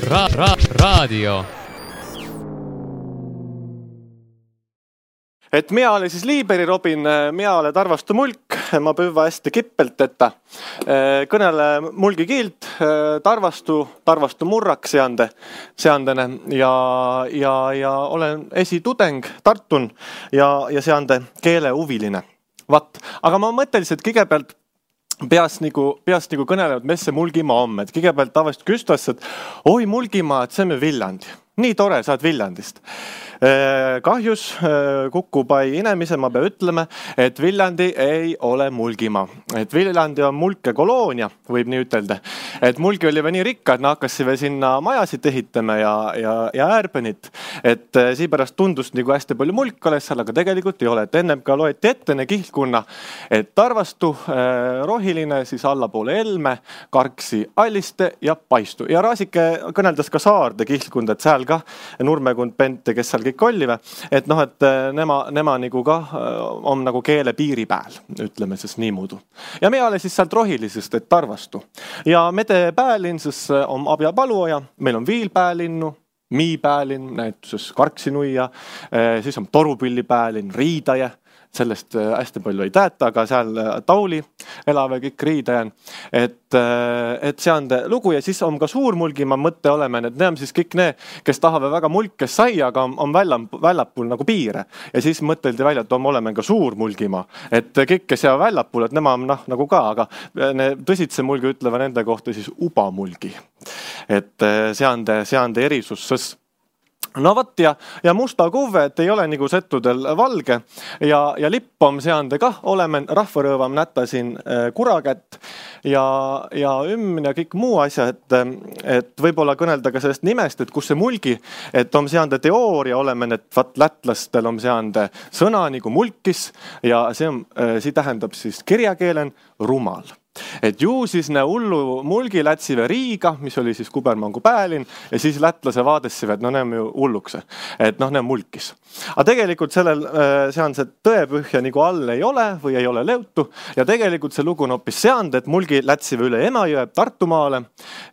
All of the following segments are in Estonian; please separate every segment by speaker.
Speaker 1: Raadio.
Speaker 2: Et mina olen siis Liiberi Robin, mina olen Tarvastu mulk, ma püva hästi kippelt, että kõnele mulgi kiilt, Tarvastu murrak seandene ja olen esitudeng Tartun ja seande keeleuviline. Vat, aga ma mõttelisin, et kõigepealt peas nagu kõnelevad, mis see Mulgimaa on, et kõigepealt tavaliselt küstas, et oi Mulgimaa, et see on Viljandi. Nii tore, saad Viljandist. Kahjus Kukupai inemise ma pean ütlema, et Viljandi ei ole Mulgimaa. Et Viljandi on mulke koloonia, võib nii ütelda. Et mulgi oli nii rikka, et naakkasime sinna majasid ehitama ja äärpenit. Et siipärast tundus nagu hästi palju mulk oleks seal, aga tegelikult ei ole. Et ennem ka loeti ettene kihlkunna, et Tarvastu rohiline, siis allapoole Elme, Karksi, Alliste ja Paistu. Ja Raasike kõneldas ka Saarde kihlkunda, et seal ka Nurmekund, Pente, kes seal kõik ollive, et noh, et nema nagu ka on nagu keele piiri pääl, ütleme siis niimoodi. Ja me olen siis sealt rohilisest, et Tarvastu. Ja mede päälinn siis on Abja Paluoja, meil on Viil päelinnu, Mii päälinn, näitus Karksinuia, siis on Torupilli päälinn, Riidaje, sellest hästi palju ei teata, aga seal Tauli elave kõik Riidajan, et see on lugu ja siis on ka Suurmulgimaa mõtte oleme, et need on siis kõik need, kes tahavad väga mulkes saia, aga on väljapul nagu piire ja siis mõteldi välja, et oleme ka Suurmulgimaa, et kõik, kes jäävad väljapul, et nema on nagu ka, aga tõsitse mulgi ütleva nende kohta siis ubamulgi, et see on erisus. No vat ja musta kuve, et ei ole nagu settudel valge ja lippom seande kah oleme rahvarõõvam nätasin kurakätt ja ja kõik muu asja, et võib-olla kõnelda ka sellest nimest, et kus see mulgi, et on seande teooria oleme, et vat lätlastel on seande sõna nagu mulkis ja see tähendab siis kirjakeelen rumal. Et ju siis ne hullu mulgi lätsive Riiga, mis oli siis Kubermangu päälinn ja siis lätlase vaadessive, et ne on ju hullukse, et ne on mulkis. Aga tegelikult sellel see tõepühja nagu all ei ole või ei ole leutu ja tegelikult see lugu on hoopis seand, et mulgi lätsive üle Emajõe Tartumaale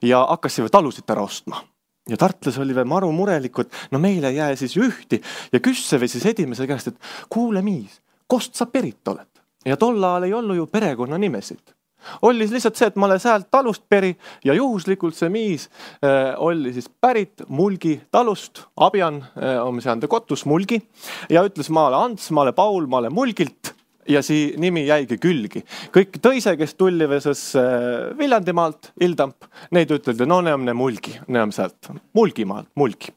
Speaker 2: ja hakkasive talusid ära ostma. Ja tartlas oli veel maru murelikult, meile jää siis ühti ja küsseve siis edimese käest, et kuule miis, kost sa perit oled? Ja tolla ajal ei olnud ju perekonna nimesid. Oli lihtsalt see, et ma olen säält talust peri ja juhuslikult see miis oli siis pärit Mulgi talust, Abjan on seande kotus Mulgi ja ütles ma olen Ants, ma olen Paul, ma olen Mulgilt ja see nimi jäigi külgi. Kõik tõise, kes tulli veses Viljandimaalt, Ildamp, neid üteldi, ne on Mulgi, ne on sealt Mulgimaalt, Mulgi.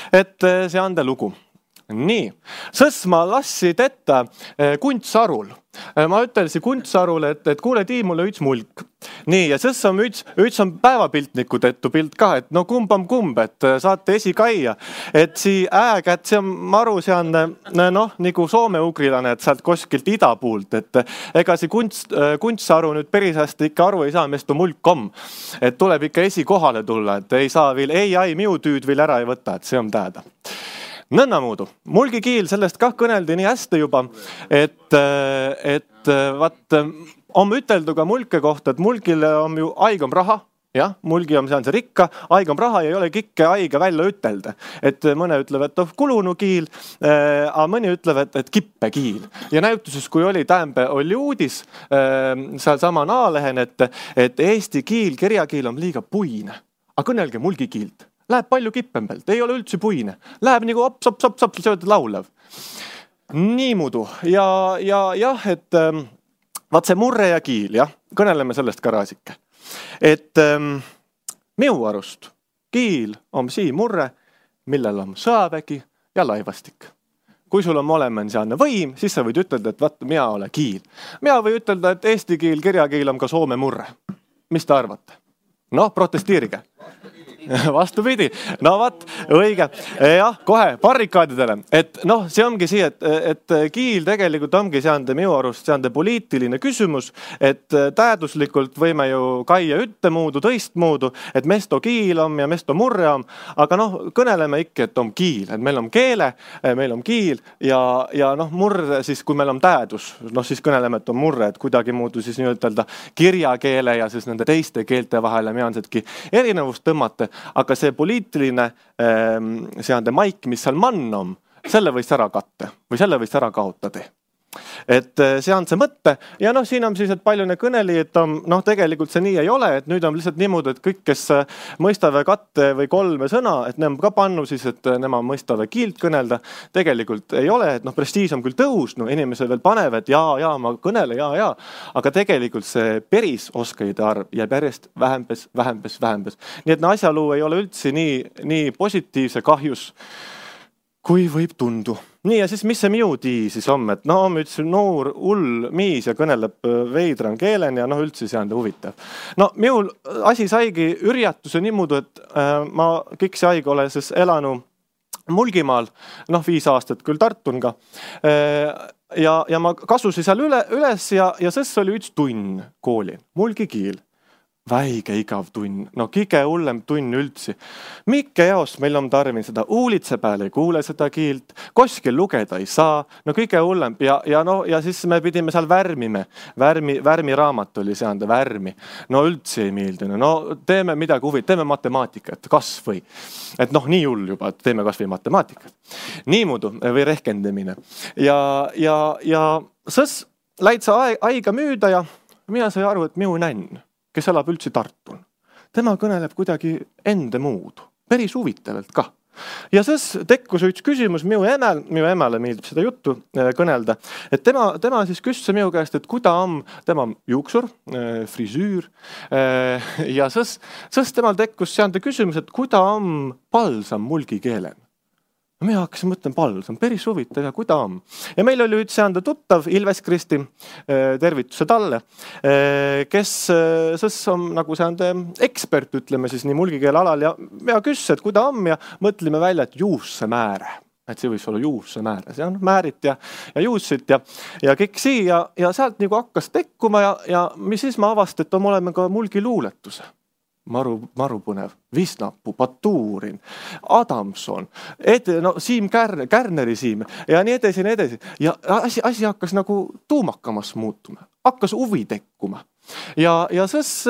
Speaker 2: Et see on ta lugu. Nii, sõs ma lassid ette Kuntsarul. Ma ütelsin Kuntsarule, et kuule tii mulle üks mulk. Nii, ja sõs on üks on päevapiltniku tettu pilt ka, et kumb on kumb, et saate esikaia. Et see äägät, see on maru, see on nagu soome-ugrilane, et sealt koskilt ida puult, et ega see Kuntsaru nüüd päris hästi ikka aru ei saa, mis tu mulk on. Et tuleb ikka esikohale tulla, et ei saa veel, ei, miu tüüd veel ära ei võta, et see on täheda. Nõnnamuudu. Mulgi kiil sellest kah kõneldi nii hästi juba, et vaat on üteldu ka mulke kohta, et mulgile on ju aigam raha, jah, mulgi on see rikka, aigam raha ja ei ole kikke aiga välja ütelda. Et mõne ütlevad, et kulunu kiil, aga mõni ütlevad, et kippe kiil. Ja näituses, kui oli oli uudis seal sama Naalehen, et eesti kiil, kirjakiil on liiga puine. Aga kõnelge mulgi kiilt. Läheb palju kippembelt, ei ole üldse puine. Läheb nagu op, sööd laulev. Niimudu. Ja et vaat see murre ja kiil, jah, kõneleme sellest ka Raasike. Et miu arust kiil on sii murre, millel on sõavägi ja laivastik. Kui sul on molemen seanne võim, siis sa võid ütelda, et vaat, mina ole kiil. Mina või ütelda, et eesti kiil, kirjakiil on ka soome murre. Mis te arvate? Protestiirige. Vastupidi. No vaat, õige. Jah, kohe barrikaadidele. Et see ongi see, et kiil tegelikult ongi seande minu arust seande poliitiline küsimus, et tähenduslikult võime ju kaia ühtemuudu, tõistmuudu, et mesto kiil on ja mesto murre on, aga kõneleme ikka, et on kiil, et meil on keele, meil on kiil ja murre siis, kui meil on tähendus, siis kõneleme, et on murre, et kuidagi muudu siis nii ütelda kirjakeele ja siis nende teiste keelte vahele meansetki erinevust tõmmata. aga see poliitiline seande maik, mis seal mannom, selle võis ära katte või selle võis ära kaotada. Et see on see mõtte ja siin on siis, et palju ne kõneli, et tegelikult see nii ei ole, et nüüd on lihtsalt niimoodi, et kõik, kes mõistavad katte või kolme sõna, et ne on ka pannu siis, et nema mõistavad kiilt kõnelda, tegelikult ei ole, et prestiis on küll tõusnud, inimesed veel panevad, et jaa, ma kõnele, jaa, aga tegelikult see päris oskajate arv jääb järjest vähempes. Nii et asjaluu ei ole üldse nii positiivse kahjus, kui võib tundu. Nii ja siis, mis see miu tii siis on, et üks noor hull miis ja kõneleb veidran keelen ja üldse see on huvitav. Miul asi saigi ürjatuse niimoodi, et ma kõik see aeg ole siis elanu Mulgimaal, 5 aastat küll Tartunga ja ma kasusin seal üles ja sest oli üks tunn kooli, mulgi kiil. Väige igav tunn, kõige hullem tunn üldse. Mikke jaost meil on tarvin seda uulitse peale ei kuule seda kiilt, koskil lugeda ei saa, kõige hullem ja siis me pidime seal värmiraamat oli seanda värmi. Üldse ei meeldinud, teeme midagi huvit, teeme matemaatikat, kas või. Et nii hull juba, et teeme kas või matemaatikat. Niimoodi või rehkendamine. Ja sõs läid sa aiga müüda ja mina sai aru, et miu nänn, kes elab üldse Tartun. Tema kõneleb kuidagi ende muud, päris huvitavalt ka. Ja siis tekkus üks küsimus minu emale meeldib seda juttu kõnelda, et tema siis küsis minu käest, et kuida on tema juuksur, frisüür ja siis temal tekkus seande küsimus, et kuida on palsam mulgi keelen. Mina hakkasin mõtlen palsam, päris huvitav ja kuida on. Ja meil oli üks seanda tuttav, Ilves Kristi, tervituse talle, kes sõs on nagu seande ekspert, ütleme siis nii mulgikeele alal ja küsis, et kuida on ja mõtlime välja, et juusse määre. Et see võis olla juusse määre, see on määrit ja juussit ja kõik sii ja sealt nagu hakkas tekkuma ja mis siis ma avast, et oleme ka mulgi luuletuse. Maru põnev, Visnapu, Baturin, Adamson, Siim Kärneri Siim ja nii edasi. Ja asi hakkas nagu tuumakamas muutuma, hakkas huvi tekkuma. Ja sõs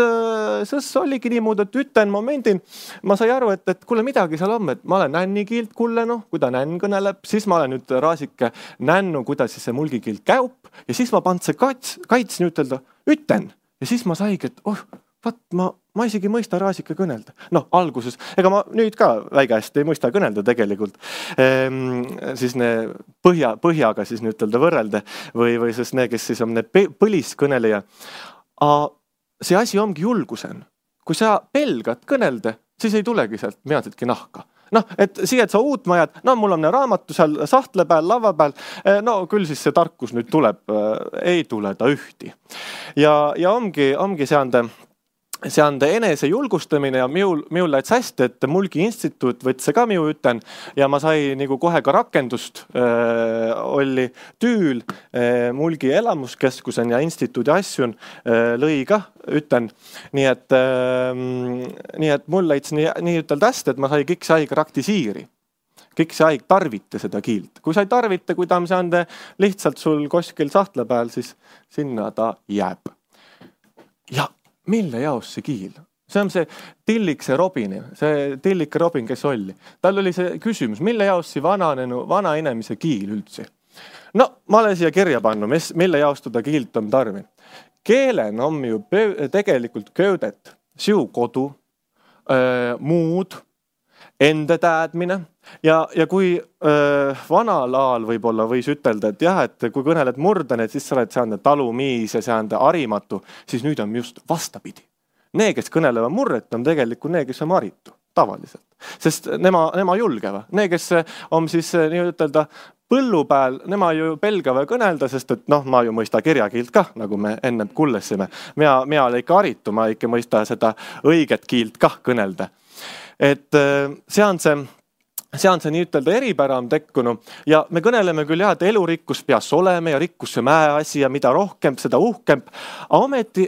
Speaker 2: oligi niimoodi, et üten momendin, ma sai aru, et kuule midagi seal on, et ma olen nänni kiilt kulle, kui ta nänn kõneleb, siis ma olen nüüd raasike nännu, kuidas siis see mulgi kiilt käup ja siis ma pand see kaitsin ütelda, üten ja siis ma saigi, et ma isegi mõista raasike kõnelda. Alguses, ega ma nüüd ka väike hästi ei mõista kõnelda tegelikult. Siis ne põhjaga siis ütelda võrrelda või siis ne, kes siis on ne põliskõneleja. See asi ongi julgusen. Kui sa pelgad kõnelda, siis ei tulegi sealt meadsetki nahka. Et siia, et sa uut majad, mul on raamatu seal sahtle peal, lava peal, küll siis see tarkus nüüd tuleb, ei tule ta ühti. Ja ongi seande enese julgustamine ja miul läits hästi, et Mulgi instituut võtse ka miu üten ja ma sai nagu kohe ka rakendust oli tüül Mulgi elamuskeskusen ja instituudi asjun lõi ka üten. Nii et mul läits nii ütelda hästi, et ma sai kõik see aeg raktisiiri. Kõik see aeg tarvite seda kiilt. Kui sa ei tarvite, kui ta on seande lihtsalt sul koskil sahtle peal, siis sinna ta jääb. Ja mille jaos see kiil? See on see Tillikse Robin, kes oli. Tal oli see küsimus, mille jaos see vana inimese kiil üldse? Ma olen siia kirja pannu, mille jaos teda kiilt on tarvin. Keelen on ju tegelikult köödet, siu kodu, muud, enda täädmine ja kui vanal ajal võib-olla võis ütelda, et jah, et kui kõneled murdan, et siis sa oled seande talumiis ja seande harimatu, siis nüüd on just vastapidi. Need, kes kõnelevad murret, on tegelikult need, kes on haritu, tavaliselt. Sest nema julgeva. Need, kes on siis nii ütelda põllu peal, nema ju pelgava kõnelda, sest et ma ju mõista kirjakiilt ka, nagu me enne kullesime. Mina olen ikka haritu, ma ikka mõista seda õiget kiilt ka kõnelda. Et see on see nii ütelda eripäram tekkunu ja me kõneleme küll jah, et elurikkus peas oleme ja rikkus see mäeasi ja mida rohkem, seda uhkem, aga ometi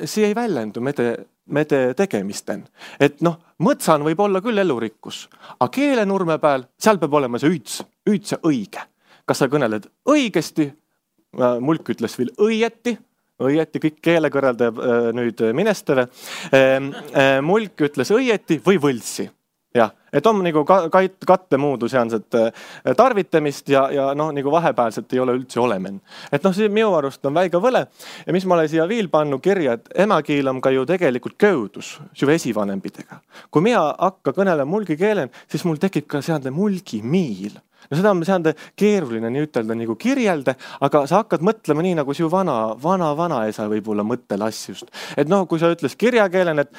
Speaker 2: see ei väljendu mede tegemisten. Et mõtsan võib olla küll elurikkus, aga keelenurme peal, seal peab olema see üldse õige. Kas sa kõneled õigesti, mulk ütles veel õieti, õieti, kõik keelekõrreldajad nüüd minestele. Mulk ütles õieti või võlsi. Jah, et on nagu kattemuudu seanset tarvitamist ja noh, nagu vahepealselt ei ole üldse olemen. Et noh, see minu arust on väiga võle ja mis ma olen siia viil pannu kirja, et emakiil on ka ju tegelikult köudus su esivanempidega. Kui mina hakka kõnele mulgi keelen, siis mul tekib ka seande mulgi miil. No seda on seande keeruline nii ütelda nagu kirjelde, aga sa hakkad mõtlema nii nagu siu vana-esa võib-olla mõttelassjust. Et noh, kui sa ütles kirjakeelen, et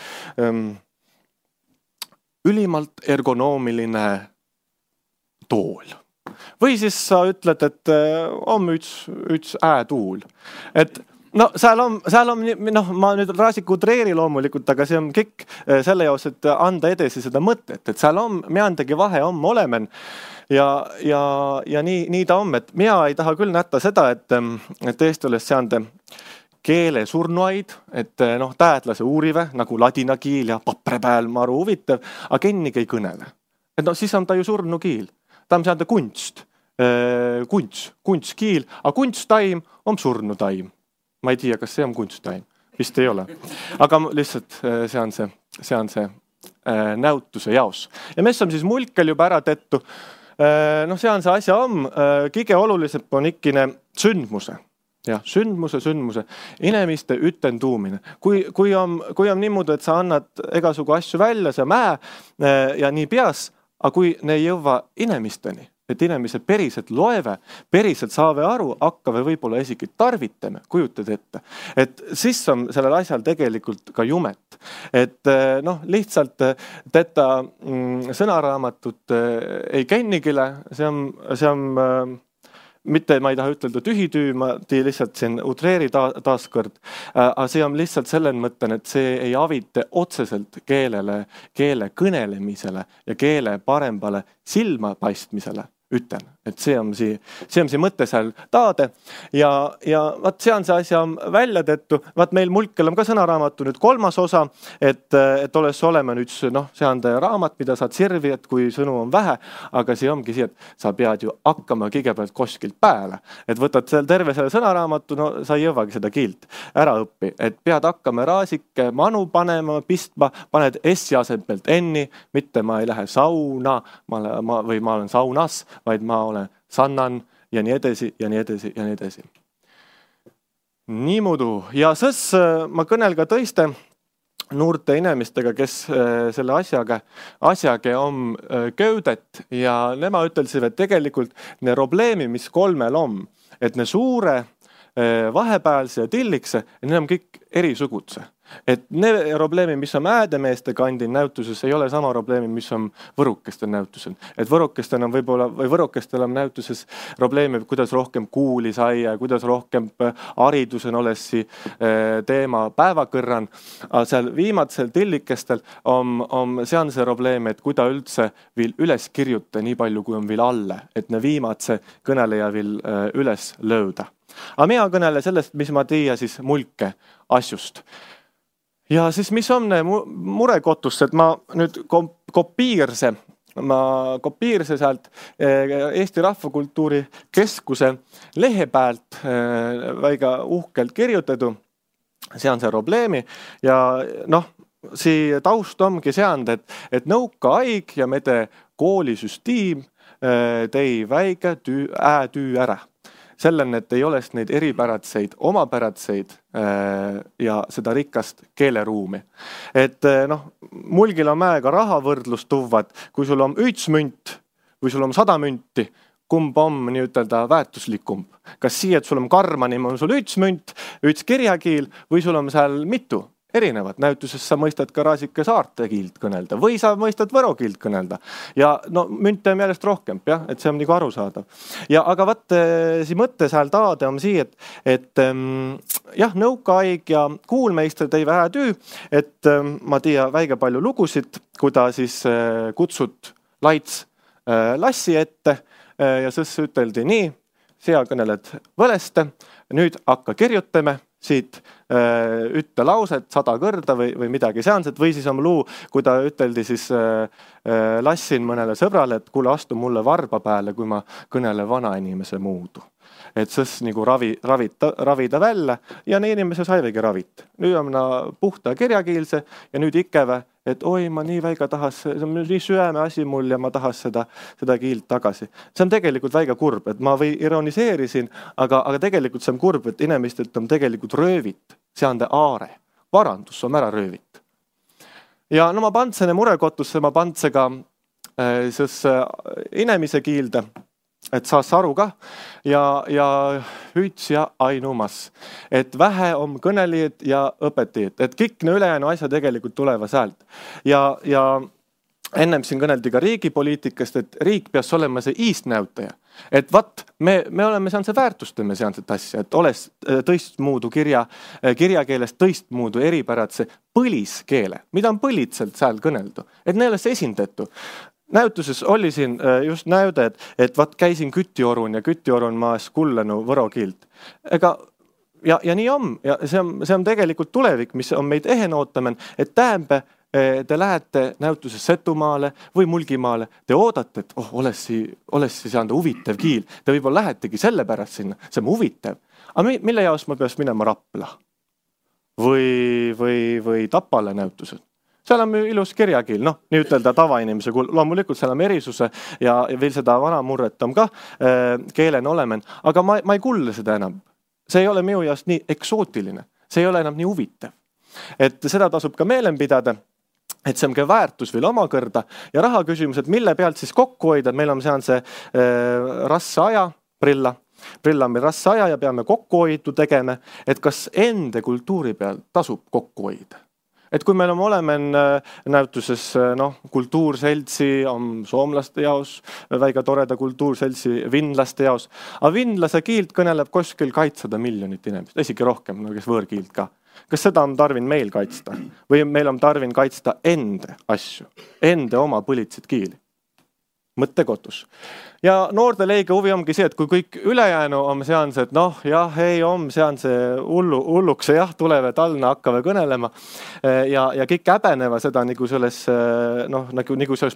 Speaker 2: ülimalt ergonoomiline tool. Või siis sa ütled, et on üks äätuul. Et no seal on, noh, ma nüüd raasiku treeri loomulikult, aga see on kõik selle jaos, et anda edasi seda mõtet. Et seal on, meandagi vahe on olemen ja nii ta on. Et mina ei taha küll nätta seda, et Eesti oleks seande keele surnuaid, et noh, täedlase uurive, nagu ladina kiil ja paprepääl maru huvitav, aga kennigi ei kõnele. Et no siis on ta ju surnukiil. Ta on seande kunst, kunstkiil, aga kunstaim on surnutaim. Ma ei tea, kas see on kunstaim. Vist ei ole. Aga lihtsalt see on see näutuse jaos. Ja mis on siis mulkel juba ära tettu? Noh, see on see asja kõige olulisem on ikkine sündmuse. Ja, sündmuse. Inimeste ütenduumine. Kui on niimoodi, et sa annad egasugu asju välja, see mäe ja nii peas, aga kui ne ei jõua inimesteni, et inimesed päriselt loeve, päriselt saave aru, hakkave võib-olla isegi tarvitame, kujutad ette. Et siis on sellel asjal tegelikult ka jumet. Et noh, lihtsalt teda sõnaraamatut ei kennigile, see on mitte ma ei taha ütelda tühitüü, ma lihtsalt siin utreeri taaskord, aga see on lihtsalt selle mõtten, et see ei avite otseselt keele kõnelemisele ja keele parembale silmapaistmisele. Üten, et see on see mõte seal taade ja vaat see on see asja välja tettu, vaat meil mulkel on ka sõnaraamatu nüüd 3. osa, et oleks olema nüüd see on raamat, mida saad sirvi, et kui sõnu on vähe, aga see ongi see, et sa pead ju hakkama kõigepealt koskilt pääle, et võtad terve selle sõnaraamatu, no sa ei jõuagi seda kiilt ära õppi, et pead hakkama raasike manu panema, pistma, paned S-i asemelt N-i, mitte ma ei lähe sauna või ma olen saunas, vaid ma olen sannan ja nii edasi ja nii edasi ja nii edasi. Nii muidu. Ja sõs ma kõnel ka tõiste noorte inimestega, kes selle asjaga on köudet ja nema ütelsivad, et tegelikult ne probleemi, mis 3 on, et ne suure, vahepealse ja tillikse, need on kõik erisugutse. Et ne probleemi, mis on äädemeeste kandin näutuses, ei ole sama probleemi, mis on võrukestel näutusel. Et võrukestel on võib-olla, või võrukestel on näutuses probleemi, kuidas rohkem kuuli saia, kuidas rohkem haridusen olessi teema päevakõrran. Aga seal viimatsel tillikestel see on see probleem, et kuida üldse viil üles kirjuta nii palju, kui on viil alle, et ne viimatse kõneleja viil üles lööda. Aga mina kõnele sellest, mis ma tiia siis mulke asjust. Ja siis mis on murekotus, et ma nüüd kopiirse sealt Eesti Rahvakultuuri Keskuse lehe pealt väga uhkelt kirjutadu. See on see probleemi ja noh, see taust ongi seand, et nõuka aig ja mede koolisüstiim tei väike äätüü ära. Sellel, et ei oleks neid eripäratseid, omapäratseid ja seda rikast keeleruumi. Et noh, mulgil on mäega rahavõrdlus tuvad, kui sul on 1 münt või sul on 100 münti, kumb on nii ütelda väärtuslikum. Kas siia, et sul on karmanim, on sul 1 münt, 1 kirjakiil või sul on seal mitu erinevat. Näutuses sa mõistad ka raasike saarte kiilt kõnelda või sa mõistad võro kiilt kõnelda. Ja no münte on järjest rohkem, jah, et see on nagu arusaadav. Ja aga vaat see mõtte seal taade on sii, et jah, nõukaaig ja kuulmeister tõi vähe tüü, et ma tea väige palju lugusid, kui ta siis kutsut laits lassi ette ja sõs üteldi nii, sea kõneled võleste, nüüd hakka kirjutame siit ütte lauset 100 kõrda või midagi seanset või siis on luu, kui ta üteldi siis lassin mõnele sõbrale, et kuule astu mulle varba peale, kui ma kõnele vana inimese muudu. et sõs nagu ravida välja ja ne inimese saivegi ravit. Nüüd on puhta kirjakiilse ja nüüd ikeve, et oi, ma nii väiga tahas, see on nii süäme asi mul ja ma tahas seda kiilt tagasi. See on tegelikult väiga kurb, et ma või ironiseerisin, aga tegelikult see on kurb, et inimestelt on tegelikult röövit, see on aare, varandus on ära röövit. Ja no ma pandsene murekotusse, ma pandse ka inimese kiilde, et saas aru ka ja hüüts ja ainumas, et vähe on kõnelijad ja õpetajad, et kõik ne ülejäänu asja tegelikult tuleva säält. Ja ennem siin kõneldi ka riigipoliitikast, et riik peaks olema see iistnäutaja. Et vat, me oleme seanse väärtustame seanset asja, et oles tõistmuudu kirjakeelest tõistmuudu eripäratse põliskeele, mida on põlitselt sääl kõneldu, et ne oles esindatu. Näytuses oli siin just näyde, et vat käisin Kütiorun ja Kütiorun maas kullenu võro kiilt. Ja nii on, ja see on tegelikult tulevik, mis on meid ehen ootamen, et tähembe te lähete näytuses Setumaale või Mulgimaale, te oodate, et olessi seanda huvitav kiil. Te võib-olla lähetegi selle pärast sinna, see on huvitav. Aga mille jaos ma peaks minema Rapla? Või Tapale näytused? Seal on ilus kirjakiil, nii ütelda tavainimese kuul. Loomulikult seal on erisuse ja veel seda vana murret on ka keelen olemen, aga ma ei kuule seda enam. See ei ole minu jaoks nii eksootiline, see ei ole enam nii huvitav. Et seda tasub ka meelen pidada, et see on ka väärtus veel oma kõrda ja raha küsimus, et mille pealt siis kokku hoida, meil on see rasse aja, prilla on meil rasse aja ja peame kokku hoidu tegema, et kas ende kultuuri peal tasub kokku hoida. Et kui meil oleme näytuses kultuurseltsi, on soomlaste jaos, väiga toreda kultuurseltsi vinlaste jaos, aga vinlase kiilt kõneleb kuskil 200 miljonit inimest, isegi rohkem, kes võõrkiilt ka. Kas seda on tarvin meil kaitsta? Või meil on tarvin kaitsta ende asju, ende oma põlitsid kiili? Mõttekotus. Ja noorte leige huvi ongi see, et kui kõik ülejäänu on seanse, et ei on seanse hullukse, tulevad talna hakkava kõnelema ja kõik häbeneva seda nagu selles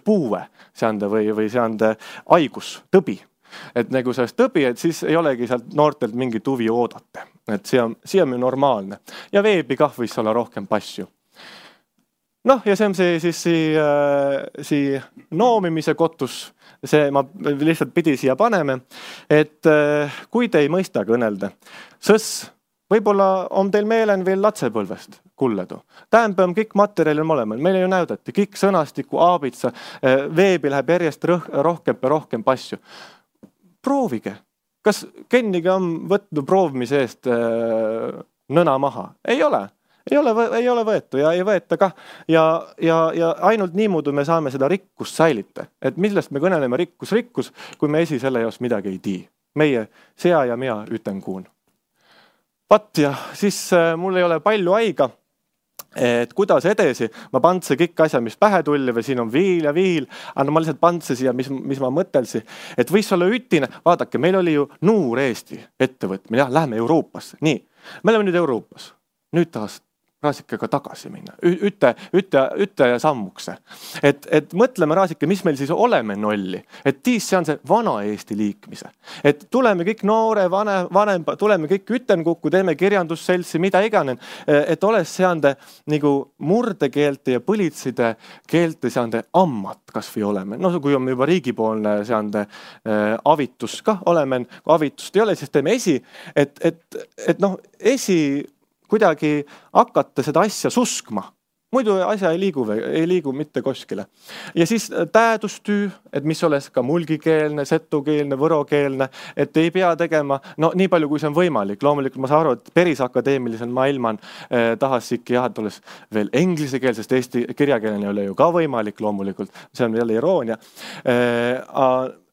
Speaker 2: puue seande või seande haigus, tõbi. Et nagu sellest tõbi, et siis ei olegi sealt noortelt mingit huvi oodata. Et see on normaalne. Ja veebi kah võis olla rohkem pasju. Ja see on see noomimise kotus. See ma lihtsalt pidi siia paneme. Et kui te ei mõista kõnelda, sõs võib-olla on teil meelen veel latsepõlvest kulledu. Tähempe on kõik materjalil olema. Meile ju näudati kõik sõnastiku, aabitsa, veebi läheb järjest rohkem pasju. Proovige. Kas kennigi on võtnud proovimise eest nõna maha? Ei ole. Ei ole võetu ja ei võeta ka. Ja ainult niimoodi me saame seda rikkust säilita. Et millest me kõneleme rikkus, kui me esi selle jaos midagi ei tii. Meie sea ja mina üten kuun. Vat ja siis mul ei ole palju aega, et kuidas edasi. Ma pandse kõik asja, mis pähe tulli või siin on viil ja viil, aga ma lihtsalt pandse siia, mis ma mõtelsi. Et võis olla ütine, vaadake, meil oli ju Nuur Eesti ettevõtmine, lähme Euroopasse. Nii, me oleme nüüd Euroopas. Nüüd tahas Raasikega tagasi minna. Üte ja sammukse. Et mõtleme Raasike, mis meil siis oleme nolli. Et tiis see on see vana Eesti liikmise. Et tuleme kõik noore, vanem, tuleme kõik ütenkukku, teeme kirjandusseltsi, mida iganen. Et oles seande nagu murdekeelte ja põlitside keelte seande ammat kas või oleme. Kui on juba riigipoolne seande avitus ka oleme, kui avitust ei ole, siis teeme esi. Et esi kuidagi hakata seda asja suskma. Muidu asja ei liigu mitte koskile. Ja siis täädustüü, et mis oles ka mulgikeelne, setukeelne, võrokeelne, et ei pea tegema, nii palju kui see on võimalik. Loomulikult ma saan aru, et päris akadeemilisen maailman tahas ikka et oles veel englisekeelsest, sest eesti kirjakeelne ei ole ju ka võimalik loomulikult. See on jälle iroonia.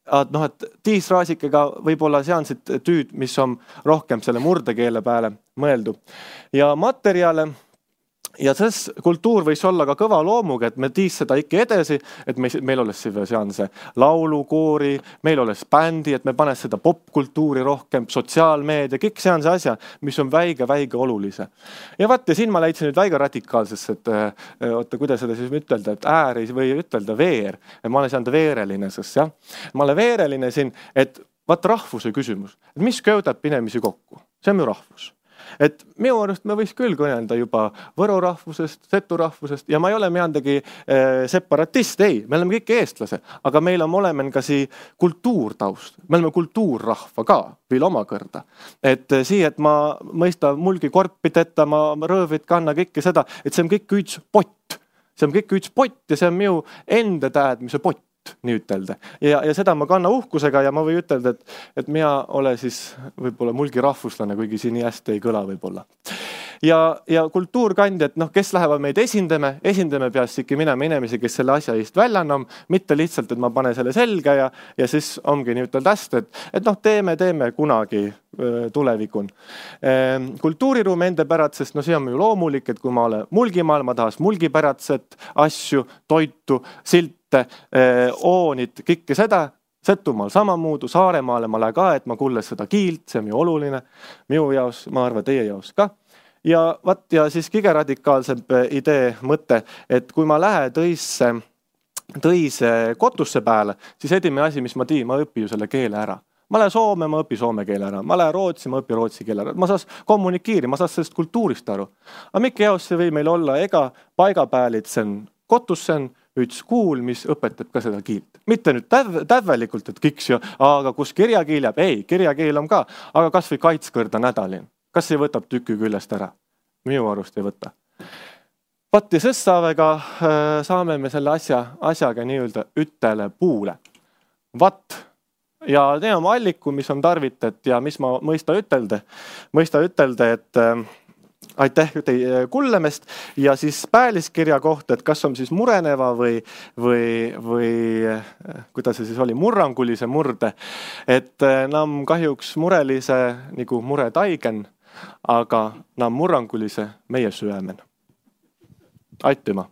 Speaker 2: Et tiis Raasikega võib-olla seansid tüüd, mis on rohkem selle murdekeele peale mõeldu. Ja materjale ja see kultuur võis olla ka kõva loomuga, et me tiis seda ikka edasi, et meil oles seanse laulukoori, meil oles bändi, et me panes seda popkultuuri rohkem, sotsiaalmeedia, kõik seanse asja, mis on väige olulise. Ja vaat, ja siin ma leidsin nüüd väiga radikaalsesse, et kuidas seda siis ütelda, et ääri või ütelda veer, et ma olen seanda veereline, sest ma olen veereline siin, et vaata rahvuse küsimus, et mis köödab inimesi kokku, see on ju rahvus. Et minu arust me võiks küll kõnelda juba võro rahvusest, setu rahvusest ja ma ei ole meandagi separatist, ei, me oleme kõik eestlase, aga meil on olemen ka sii kultuurtaust, me oleme kultuurrahva ka veel omakõrda. Et sii, et ma mõista mulgi korpid ette, ma rõõvid kanna kõike seda, et see on kõik üks pott. See on kõik üks pott ja see on minu enda teadmise pott. Nii ütelda. Ja seda ma kanna uhkusega ja ma või ütelda, et mina ole siis võib-olla mulgi rahvuslane, kuigi siin nii hästi ei kõla võib-olla. Ja kultuurkandjad, kes lähevad meid esindame peast ikka minema inimesi, kes selle asja eest välja annam, mitte lihtsalt, et ma pane selle selga ja siis ongi nii ütelda hästi, et teeme kunagi tulevikun. Kultuuriruum enda pärad, sest see on ju loomulik, et kui ma olen mulgimaal, ma tahas mulgipäratset asju, toitu, silt, oonid, kõike seda, Setumaal samamuudu, Saaremaale ma lähen ka, et ma kuules seda kiilt, see on ju oluline, minu jaos, ma arvan, teie jaos ka. Ja siis kõige radikaalsem idee mõte, et kui ma lähen tõise kotusse pääle, siis edime asi, mis ma tiin, ma õpin ju selle keele ära. Ma lähen Soome, ma õpin soome keele ära. Ma lähen Rootsi, ma õpin rootsi keele ära. Ma saas kommunikeeri, ma saas sellest kultuurist aru. Aga mikke jaos see või meil olla ega paigapäälit sen kotussen, üks kuul, mis õpetab ka seda kiilt. Mitte nüüd tävelikult, et kiks ju, aga kus kirjakeel jääb? Ei, kirjakeel on ka, aga kas või kaitskõrda nädalin. Kas ei võtab tükki küljest ära? Minu arust ei võta. Patti sõssaavega saame me selle asjaga nii-öelda ütele puule. Ja teeme alliku, mis on tarvitet ja mis ma mõista ütelda, et aitäh teie kullemest ja siis pääliskirja kohta, et kas on siis mureneva või kuidas see siis oli, murrangulise murde, et nam kahjuks murelise nagu mure taigen, aga nam murrangulise meie süömen. Aitüma!